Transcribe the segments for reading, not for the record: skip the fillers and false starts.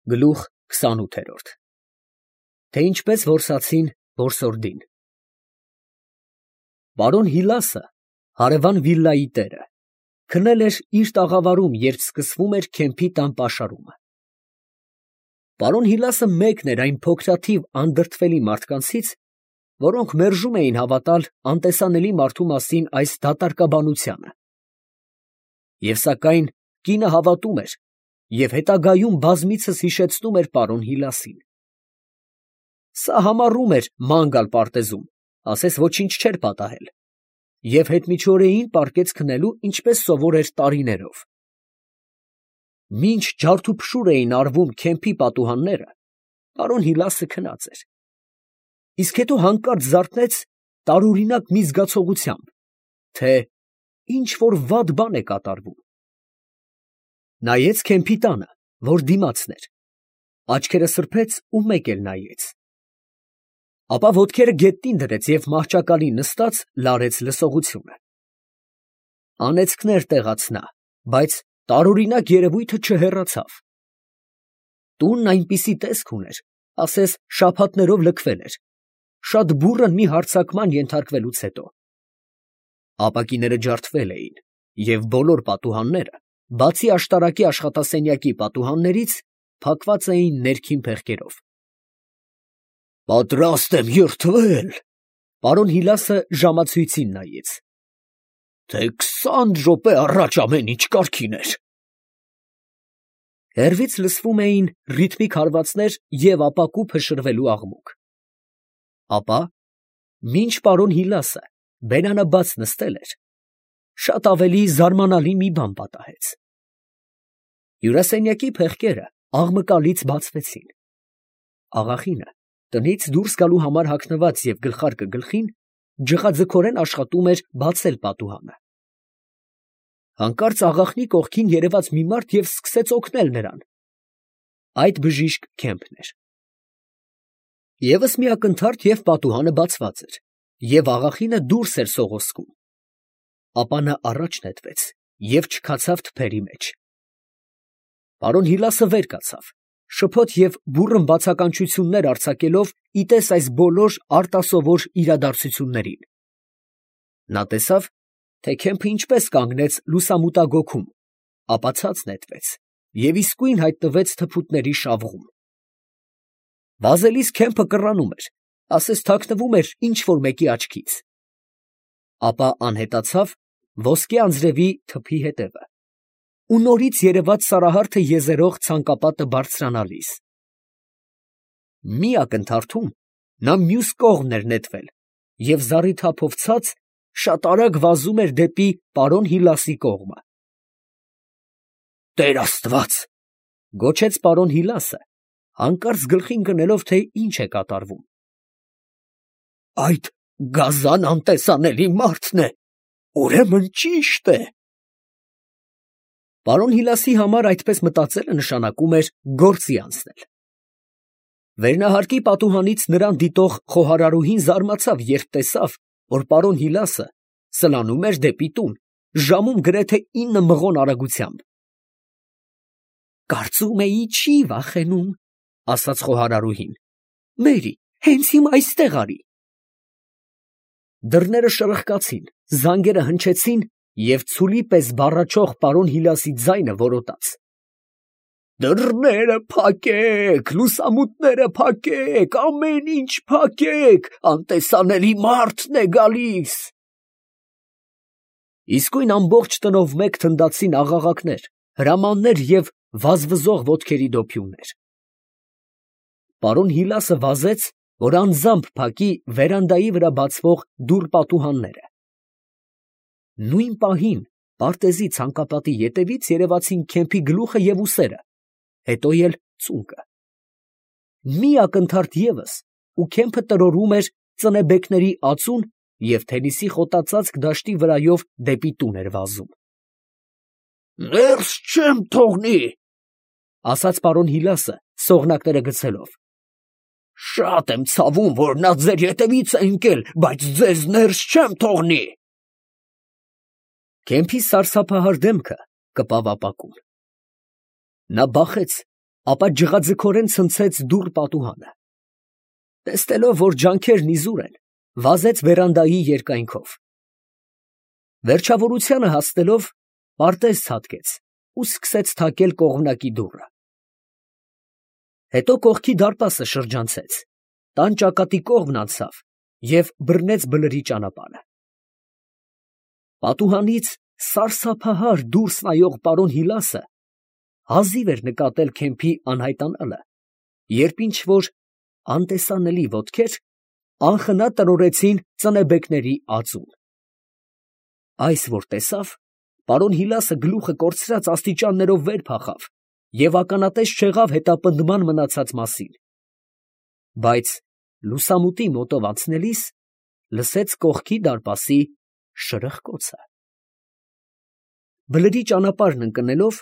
Գլուխ 28 Թե ինչպես որսացին որսորդին։ Պարոն Հիլասը, հարևան վիլլայի տերը, քնել էր իր տաղավարում, երբ սկսվում էր Քեմփի տան պաշարումը։ Պարոն Հիլասը մեկն էր այն փոքրաթիվ անդրդվելի մարդկանցից, որոնք մերժում էին հավատալ անտեսանելի մարդու մասին այս դատարկաբանությանը։ Եվ սակայն կինը հավատում էր և հետագայում բազմիցս հիշեցնում էր պարոն Հիլասին։ Սա համառում էր ման գալ պարտեզում, ասես ոչինչ չէր պատահել, և հետմիջօրեին պառկեց քնելու, ինչպես սովոր էր տարիներով։ Մինչ ջարդուփշուր էին արվում Քեմփի պատուհանները, պարոն Հիլասը քնած էր, իսկ հետո հանկարծ զարթնեց տարօրինակ մի զգացողությամբ, թե ինչ որ վատ բան է կատարվում։ Նայեց Քեմփի տանը, որ դիմացն էր, աչքերը սրբեց ու մեկ էլ նայեց, ապա ոտքերը գետնին դրեց և մահճակալին նստած լարեց լսողությունը։ Անեծքներ տեղաց նա, բայց տարօրինակ երևույթը չհեռացավ։ Տունն այնպիսի տեսք ուներ, ասես շաբաթներով լքվել էր, շատ բուռն մի հարձակման ենթարկվելուց հետո։ Ապակիները ջարդվել էին, և բոլոր պատուհանները, բացի աշտարակի աշխատասենյակի պատուհաններից, փակված էին ներքին փեղկերով։ «Պատրաստ եմ երդվել», ֊ պարոն Հիլասը ժամացույցին նայեց, «թե 20 րոպե առաջ ամեն ինչ կարգին էր»։ Հեռվից լսվում էին ռիթմիկ հարվածներ և ապակու փշրվելու աղմուկ։ Ապա, մինչ պարոն Հիլասը բերանը բաց նստել էր, շատ ավելի զարմանալի մի բան պատահեց։ Հյուրասենյակի փեղկերը աղմկալից բացվեցին։ Աղախինը, տնից դուրս գալու համար հագնված և գլխարկը գլխին, ջղաձգորեն աշխատում էր բացել պատուհանը։ Հանկարծ աղախնի կողքին երևաց մի մարդ և սկսեց օգնել նրան։ Այդ բժիշկ Քեմփն էր։ Եվս մի ակնթարթ, և պատուհանը բացված էր, և աղախինը դուրս էր սողոսկում։ Ապա նա առաջ նետվեց և չքացավ թփերի մեջ։ Պարոն Հիլասը վեր կացավ, շփոթ և բուռն բացականչություններ արձակելով ի տես այս բոլոր արտասովոր իրադարձություններին։ Նա տեսավ, թե Քեմփը ինչպես կանգնեց լուսամուտագոգում, ապա ցած նետվեց և իսկույն հայտնվեց թփուտների շավղում։ Վազելիս Քեմփը կռանում էր, ասես թաքնվում էր ինչ֊որ մեկի աչքից։ Ապա անհետացավ ոսկե անձրևի թփի հետևը, ու նորից երևաց Սարահարթը եզերող ցանկապատը բարձրանալիս։ Մի ակնթարթում նա մյուս կողմն էր նետվել և զառիթափով ցած շատ արագ վազում էր դեպի պարոն Հիլասի կողմը։ «Տեր Աստված», ֊ գոչեց պարոն Հիլասը, հանկարծ գլխին գնելով, թե ինչ է կատարվում։ «Այդ գազան անտեսանելի մարդն է, ուրեմն ճիշտ է»։ Պարոն Հիլասի համար այդպես մտածելը նշանակում էր գործի անցնել։ Վերնահարկի պատուհանից նրան դիտող խոհարարուհին զարմացավ, երբ տեսավ, որ պարոն Հիլասը սլանում էր դեպի տուն, ժամում գրեթե 9 մղոն արագությամբ։ «Կարծում էի չի վախենում», ֊ ասաց խոհարարուհին։ «Մերի, հենց հիմա այստեղ արի»։ Դռները շրխկացին, զանգերը հնչեցին, և ցուլի պես բառաչող պարոն Հիլասի ձայնը որոտաց. «Դռները փակեք, լուսամուտները փակեք, ամեն ինչ փակեք, անտեսանելի մարդն է գալիս»։ Իսկույն ամբողջ տնով մեկ թնդացին աղաղակներ, հրամաններ և վազվզող ոտքերի դոփյուններ։ Պարոն Հիլասը վազեց, որ անձամբ փակի վերանդայի վրա բացվող դուռ պատուհանները։ Նույն պահին պարտեզի ցանկապատի ետևից երևացին Քեմփի գլուխը և ուսերը, հետո էլ ծունկը։ Մի ակնթարթ ևս, ու Քեմփը տրորում էր ծնեբեկների ածուն և Թենիսի խոտածածկ դաշտի վրայով դեպի տուն էր վազում։ «Ներս չեմ թողնի», ֊ ասաց պարոն Հիլասը սողնակները գցելով։ «Շատ եմ ցավում, որ նա ձեր ետևից է ընկել, բայց ձեզ ներս չեմ թողնի»։ Քեմփի սարսափահար դեմքը կպավ ապակուն։ Նա բախեց ապա ջղաձգորեն ցնցեց դուռ պատուհանը։ Տեսնելով, որ ջանքերն իզուր են, վազեց վերանդայի երկայնքով։ Վերջավորությանը հասնելով, պարտեզ ցատկեց ու սկսեց թակել կողմնակի դուռը։ Հետո կողքի դարպասը շրջանցեց, տան ճակատի կողմն անցավ և բռնեց բլրի ճանապարհը։ Պատուհանից սարսափահար դուրս նայող պարոն Հիլասը հազիվ էր նկատել Քեմփի անհայտանալը, երբ ինչ֊որ անտեսանելի ոտքեր անխնա տրորեցին ծնեբեկների ածուն։ Այս որ տեսավ, պարոն Հիլասը գլուխը կորցրած աստիճաններով վեր փախավ և ականատես չեղավ հետապնդման մնացած մասին, բայց լուսամուտի մոտով անցնելիս լսեց կողքի դարպասի շրխկոցը։ Բլրի ճանապարհն ընկնելով,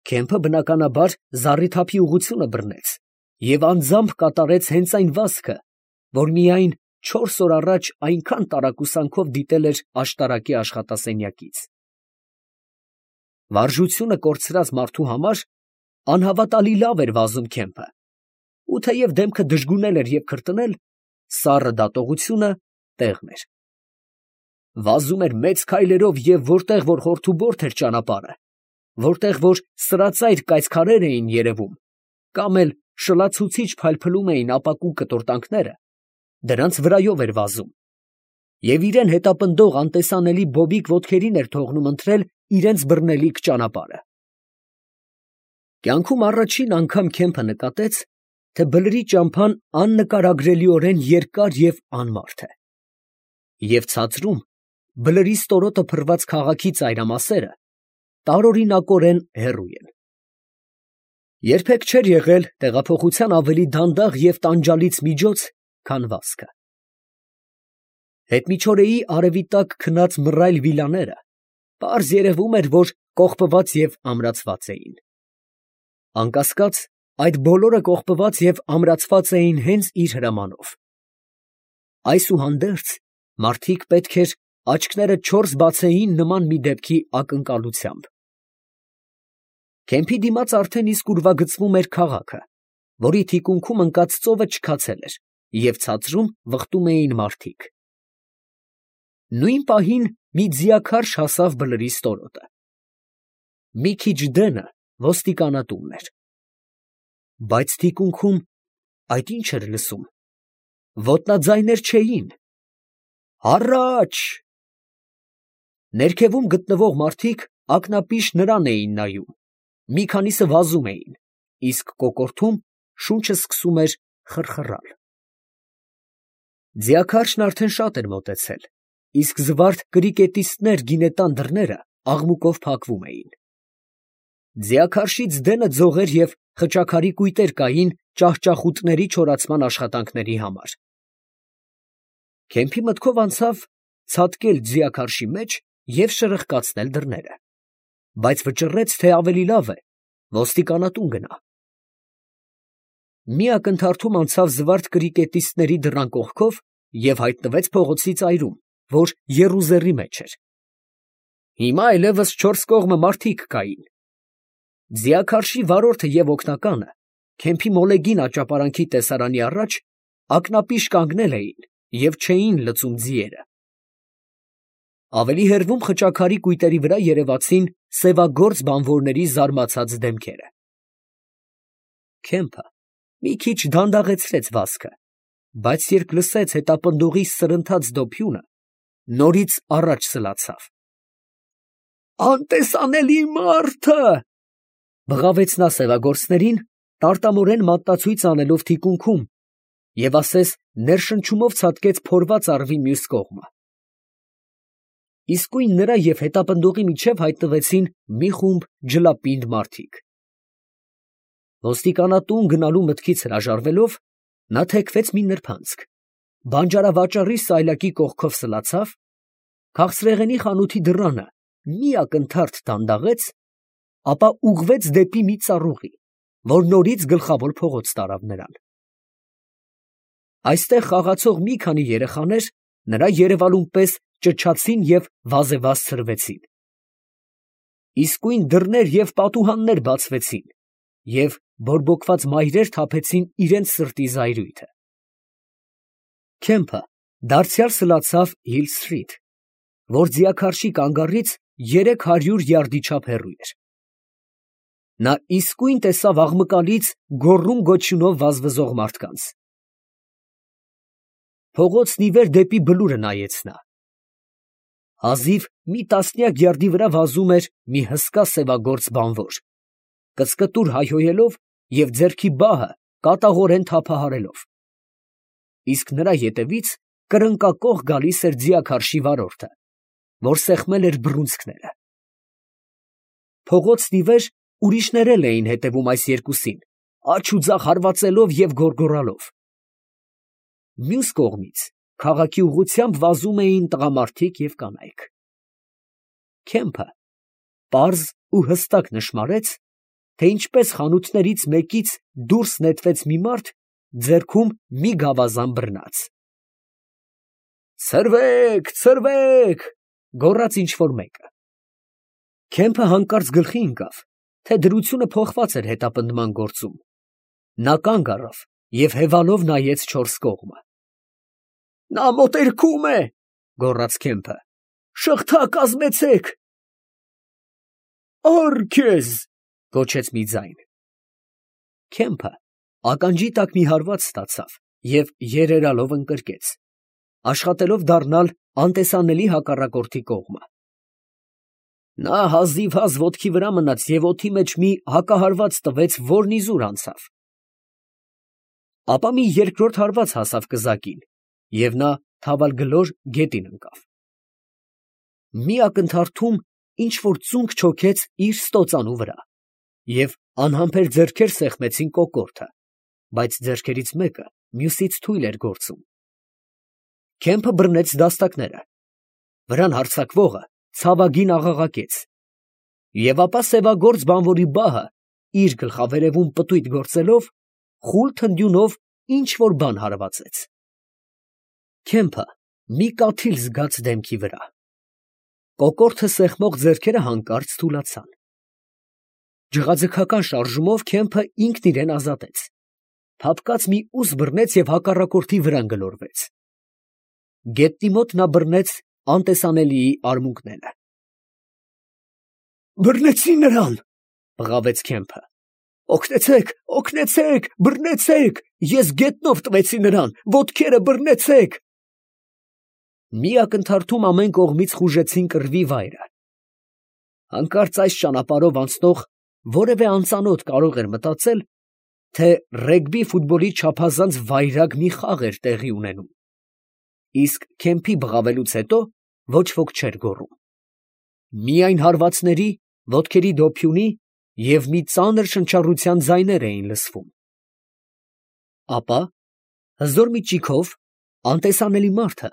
Քեմփը բնականաբար զառիթափի ուղղությունը բռնեց և անձամբ կատարեց հենց այն վազքը, որ միայն 4 օր առաջ այնքան տարակուսանքով դիտել էր աշտարակի աշխատասենյակից։ Վարժությունը կորցրած մարդու համար անհավատալի լավ էր վազում Քեմփը, ու թեև դեմքը դժգունել էր և քրտնել, սառը դատողությունը տեղն էր։ Վազում էր մեծ քայլերով և որտեղ որ խորթուբորթ էր ճանապարհը, որտեղ որ սրածայր կայծքարեր էին երևում, կամ էլ շլացուցիչ փայլփլում էին ապակու կտորտանքները, դրանց վրայով էր վազում և իրան հետապնդող անտեսանելի բոբիկ ոտքերին էր թողնում ընթրել իրենց բռնելիք ճանապարհը։ Կյանքում առաջին անգամ Քեմփը նկատեց, թե բլրի ճամփան աննկարագրելիորեն երկար և անմարդ է, և ցածրում բլրի ստորոտը փռված քաղաքի ծայրամասերը տարօրինակորեն հեռու են։ Երբեք չէր եղել տեղափոխության ավելի դանդաղ և տանջալից միջոց, քան վազքը։ Հետմիջօրեի արևի տակ քնած մռայլ վիլաները պարզ երևում էր, որ կողպված և ամրացված էին։ Անկասկած, այդ բոլորը կողպված և ամրացված էին հենց իր հրամանով։ Այսուհանդերձ, մարդիկ պետք էր աչքները չորս բացեին նման մի դեպքի ակնկալությամբ։ Քեմփի դիմաց արդեն իսկ ուրվագծվում էր քաղաքը, որի թիկունքում ընկած ծովը չքացել էր, և ցածրում վխտում էին մարդիկ։ Նույն պահին մի ձիաքարշ հասավ բլրի ստորոտը։ Մի քիչ դենը ոստիկանատունն էր։ Բայց թիկունքում այդ ի՞նչ էր լսում. ոտնաձայներ չէին։ Առա՜ջ… Ներքևում գտնվող մարդիկ ակնապիշ նրան էին նայում, մի քանիսը վազում էին, իսկ կոկորդում շունչը սկսում էր խռխռալ։ Ձիաքարշն արդեն շատ էր մոտեցել, իսկ զվարթ կրիկետիստներ գինետան դռները աղմուկով փակվում էին։ Ձիաքարշից դենը ձողեր և խճաքարի կույտեր կային ճահճախուտների չորացման աշխատանքների համար։ Քեմփի մտքով անցավ ցատկել ձիաքարշի մեջ և շրխկացնել դռները, բայց վճռեց, թե ավելի լավ է ոստիկանատուն գնա։ Մի ակնթարթում անցավ զվարթ կրիկետիստների դռան կողքով և հայտնվեց փողոցի ծայրում, որ եռուզեռի մեջ էր։ Հիմա այլևս չորս կողմը մարդիկ կային։ Ձիաքարշի վարորդը և օգնականը Քեմփի մոլեգին աճապարանքի տեսարանի առաջ ակնապիշ կանգնել էին և չէին լծում ձիերը։ Ավելի հեռվում խճաքարի կույտերի վրա երևացին սևագործ բանվորների զարմացած դեմքերը։ Քեմփը մի քիչ դանդաղեցրեց վազքը, բայց երբ լսեց հետապնդողի սրընթաց դոփյունը, նորից առաջ սլացավ։ «Անտեսանելի մարդ է!» բղավեց նա սևագործներին, տարտամորեն մատնացույց անելով թիկունքում, և ասես ներշնչումով ցատկեց փորված առվի մյուս կողմը։ Իսկույն նրա և հետապնդողի միջև հայտնվեցին մի խումբ ջլապինդ մարդիկ։ Ոստիկանատուն գնալու մտքից հրաժարվելով, նա թեքվեց մի նրբանցք, բանջարավաճառի սայլակի կողքով սլացավ, քաղցրեղենի խանութի դռանը մի ակնթարթ դանդաղեց, ապա ուղղվեց դեպի մի ծառուղի, որ նորից գլխավոր փողոց տարավ նրան։ Այստեղ խաղացող մի քանի երեխաներ նրա երևալուն պես ճչացին և վազեվազ ցրվեցին։ Իսկույն դռներ և պատուհաններ բացվեցին, և բորբոքված մայրեր թափեցին իրենց սրտի զայրույթը։ Քեմփը դարձյալ սլացավ Հիլ Սթրիթ, որ ձիաքարշի կանգառից 300 յարդի չափ հեռու էր։ Նա իսկույն տեսավ աղմկալից գոռում գոչյունով վազվզող մարդկանց։ Փողոցն ի վեր դեպի բլուրը նայեց նա։ Հազիվ մի տասնյակ յարդի վրա վազում էր մի հսկա սևագործ բանվոր, կծկտուր հայհոյելով և ձեռքի բահը կատաղորեն թափահարելով, իսկ նրա ետևից կրնկակոխ գալիս էր ձիաքարշի վարորդը, որ սեղմել էր բռունցքները։ Փողոցն ի վեր ուրիշներ էլ էին հետևում այս երկուսին, աջ ու ձախ հարվածելով և գոռգոռալով։ Մյուս կողմից քաղաքի ուղղությամբ վազում էին տղամարդիկ և կանայք։ Քեմփը պարզ ու հստակ նշմարեց, թե ինչպես խանութներից մեկից դուրս նետվեց մի մարդ, ձեռքում մի գավազան բռնած։ «Ցրվեք, ցրվեք», գոռաց ինչ֊որ մեկը։ Քեմփը հանկարծ գլխի ընկավ, թե դրությունը փոխված էր հետապնդման գործում։ Նա կանգ առավ և հևալով նայեց չորս կողմը։ «Նա մոտերքում է», գոռաց Քեմփը։ «Շղթա կազմեցեք»։ «Առ քեզ», գոչեց մի ձայն։ Քեմփը ականջի տակ մի հարված ստացավ և երերալով ընկրկեց, աշխատելով դառնալ անտեսանելի հակառակորդի կողմը։ Նա հազիվհազ ոտքի վրա մնաց և օդի մեջ մի հակահարված տվեց, որն իզուր անցավ։ Ապա մի երկրորդ հարված հասավ կզակին, և նա թավալգլոր գետին ընկավ։ Մի ակնթարթում ինչ֊որ ծունկ չոքեց իր ստոծանու վրա, և անհամբեր ձեռքեր սեղմեցին կոկորդը, բայց ձեռքերից մեկը մյուսից թույլ էր գործում։ Քեմփը բռնեց դաստակները, վրան հարձակվողը ցավագին աղաղակեց, և ապա սևագործ բանվորի բահը, իր գլխավերևում պտույտ գործելով, խուլ թնդյունով ինչ֊որ բան հարվածեց։ Քեմփը մի կաթիլ զգաց դեմքի վրա։ Կոկորդը սեղմող ձեռքերը հանկարծ թուլացան։ Ջղաձգական շարժումով Քեմփը ինքն իրան ազատեց, փափկած մի ուս բռնեց և հակառակորդի վրան գլորվեց։ Գետնի մոտ նա բռնեց անտեսանելիի արմունկները։ «Բռնեցի նրան», բղավեց Քեմփը։ «Օգնեցե՛ք, օգնեցե՛ք, բռնեցե՛ք, ես գետնով տվեցի նրան, ոտքերը բռնեցե՛ք»։ Մի ակնթարթում ամեն կողմից խուժեցին կռվի վայրը։ Հանկարծ այս ճանապարհով անցնող որևէ անծանոթ կարող էր մտածել, թե ռեգբի ֆուտբոլի չափազանց վայրագ մի խաղ էր տեղի ունենում, իսկ Քեմփի բղավելուց հետո ոչ ոք չէր գոռում։ Միայն հարվածների, ոտքերի դոփյունի և մի ծանր շնչառության ձայներ էին լսվում։ Ապա հզոր մի ճիգով անտեսանելի մարդը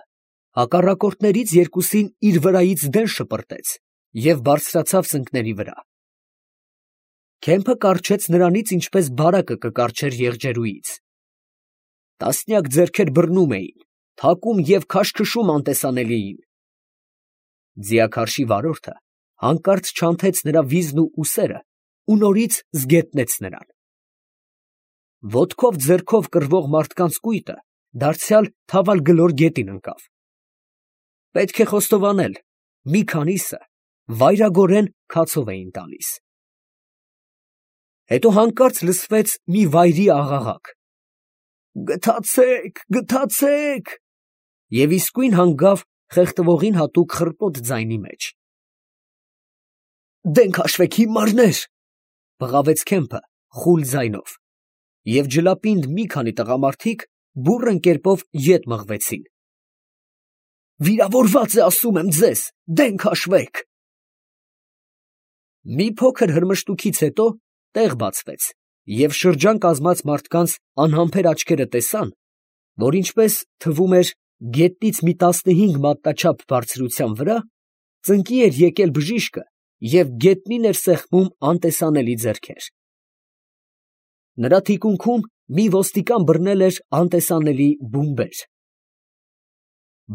հակառակորդներից երկուսին իր վրայից դեն շպրտեց և բարձրացավ ծնկների վրա։ Քեմփը կառչեց նրանից, ինչպես բարակը կկառչեր եղջերուից։ Տասնյակ ձեռքեր բռնում էին, թակում և քաշքշում անտեսանելիին։ Ձիաքարշի վարորդը հանկարծ չանթեց նրա վիզն ու ուսերը ու նորից զգետնեց նրան։ Ոտքով ձեռքով կռվող մարդկանց կույտը դարձյալ թավալգլոր գետին ընկավ։ Պետք է խոստովանել, մի քանիսը վայրագորեն քացով էին տալիս։ Հետո հանկարծ լսվեց մի վայրի աղաղակ. «Գթացե՛ք, գթացե՛ք», և իսկույն հանգավ խեղդվողին հատուկ խռպոտ ձայնի մեջ։ «Դեն քաշվեք, հիմարներ», բղավեց Քեմփը խուլ ձայնով, և ջլապինդ մի քանի տղամարդիկ բուռն կերպով ետ մղվեցին։ «Վիրավորված է, ասում եմ ձեզ, դեն քաշվեք»։ Մի փոքր հրմշտուքից հետո տեղ բացվեց, և շրջան կազմած մարդկանց անհամբեր աչքերը տեսան, որ ինչպես թվում էր գետնից մի 15 մատնաչափ բարձրության վրա ծնկի էր եկել բժիշկը և գետնին էր սեղմում անտեսանելի ձեռքեր։ Նրա թիկունքում մի ոստիկան բռնել էր անտեսանելի բումբեր։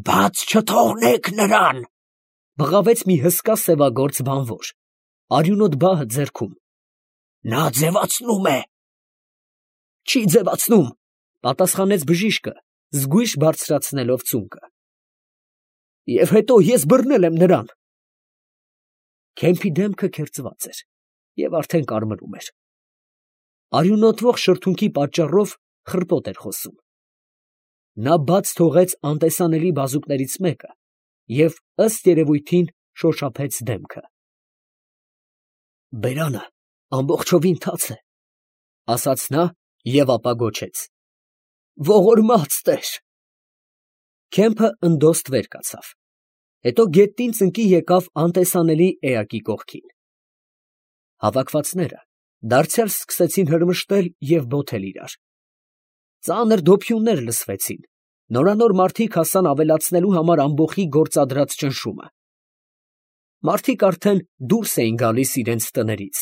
«Բաց չթողնեք նրան», բղավեց մի հսկա սևագործ բանվոր, արյունոտ բահը ձեռքում։ «Նա ձևացնում է, Չի ձևացնում, պատասխանեց բժիշկը, զգույշ բարձրացնելով ծունկը։ Եվ հետո ես բռնել եմ նրան։ Քեմփի դեմքը քերծված էր և արդեն կարմրում էր։ Արյունոտվող շրթունքի պատճառով խռպոտ էր խոսում։ Նա բաց թողեց անտեսանելի բազուկներից մեկը և ըստ երևույթին շոշափեց դեմքը։ Բերանը ամբողջովին թաց է, ասաց նա և ապա գոչեց. Ողորմած Տեր։ Քեմփը ընդոստ վեր կացավ, հետո գետնին ծնկի եկավ անտեսանելի էակի կողքին։ Հավաքվածները դարձյալ սկսեցին հրմշտել և բոթել իրար։ Ծանր դոփյուններ լսվեցին, նորանոր մարդիկ հասան ավելացնելու համար ամբոխի գործադրած ճնշումը։ Մարդիկ արդեն դուրս էին գալիս իրենց տներից։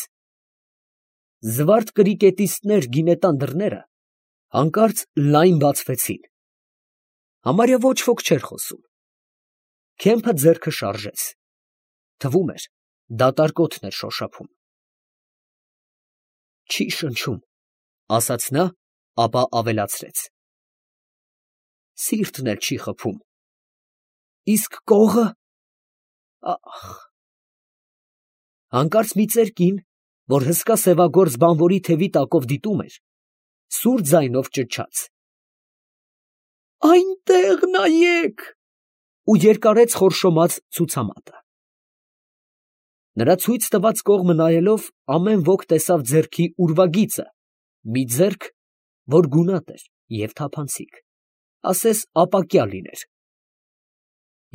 Զվարթ կրիկետիստներ գինետան դռները հանկարծ լայն բացվեցին։ Համարյա ոչ ոք չէր խոսում։ Քեմփը ձեռքը շարժեց։ Թվում էր, դատարկոթն էր շոշափում։ Չի շնչում, ասաց նա, ապա ավելացրեց. Սիրտն էլ չի խփում։ Իսկ կողը… Ախ… Հանկարծ մի ծեր կին, որ հսկա սևագործ բանվորի թևի տակով դիտում էր, սուր ձայնով ճչաց. Այնտեղ նայեք… ու երկարեց խորշոմած ցուցամատը։ Նրա ցույց տված կողմը նայելով, ամեն ոք տեսավ ձեռքի ուրվագիծը, մի ձեռք, որ գունատ էր և թափանցիկ, ասես ապակյա լիներ։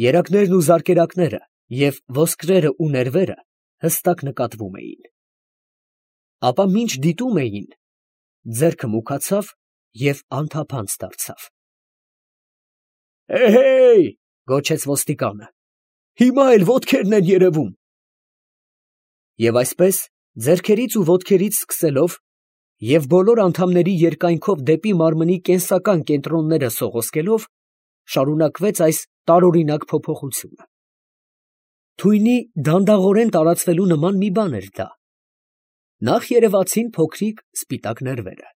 Երակներն ու զարկերակները և ոսկրերը ու ներվերը հստակ նկատվում էին։ Ապա մինչ դիտում էին, ձեռքը մուքացավ և անթափանց դարձավ։ Էհեյ, գոչեց ոստիկանը, հիմա էլ ոտքերն են երևում։ Եվ այսպես, ձեռքերից ու ոտքերից սկսելով և բոլոր անդամների երկայնքով դեպի մարմնի կենսական կենտրոնները սողոսկելով, շարունակվեց այս տարօրինակ փոփոխությունը։ Թույնի դանդաղորեն տարածվելու նման մի բան էր դա։ Նախ երևացին փոքրիկ սպիտակ ներվերը,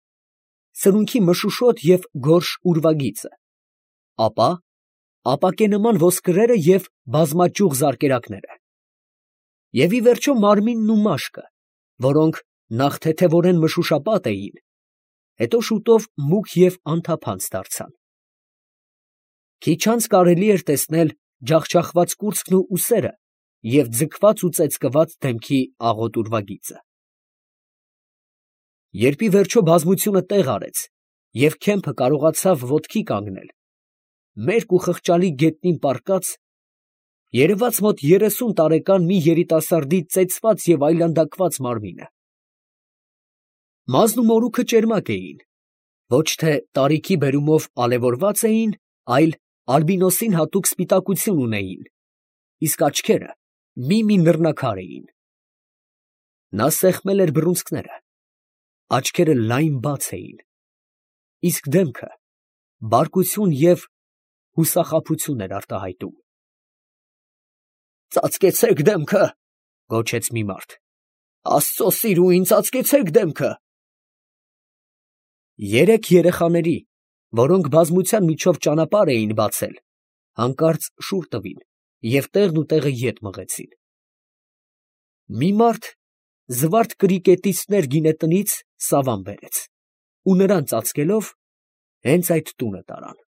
սրունքի մշուշոտ և գորշ ուրվագիծը, ապա ապակենման ոսկրերը և բազմաճյուղ զարկերակները, և ի վերջո մարմինն ու մաշկը, որոնք նախ թեթևորեն մշուշապատ էին, հետո շուտով մուգ և անթափանց դարձան։ Քիչ անց կարելի էր տեսնել ջախջախված կուրծքն ու ուսերը և ձգված ու ծեծկված դեմքի աղոտ ուրվագիծը։ Երբ ի վերջո բազմությունը տեղ արեց, և Քեմփը կարողացավ ոտքի կանգնել, մերկ ու խղճալի գետնին պառկած, երևաց մոտ 30 տարեկան մի երիտասարդի ծեծված և այլանդակված մարմինը։ Մազն ու մորուքը ճերմակ էին, ոչ թե տարիքի բերումով ալևորված էին, այլ ալբինոսին հատուկ սպիտակություն ունեին, իսկ աչքերը մի նռնակար էին։ Նա սեղմել էր բռունցքները, աչքերը լայն բաց էին, իսկ դեմքը բարկություն և հուսախաբություն էր արտահայտում։ Ծածկեցեք դեմքը, գոչեց մի մարդ, Աստծո սիրուին, ծածկեցեք դեմքը։ Երեք երեխաների, որոնք բազմության միջով ճանապարհ էին բացել, հանկարծ շուռ տվին և տեղն ու տեղը ետ մղեցին։ Մի մարդ զվարթ կրիկետիստներ գինետնից սավան բերեց ու նրան ծածկելով, հենց այդ տունը տարան։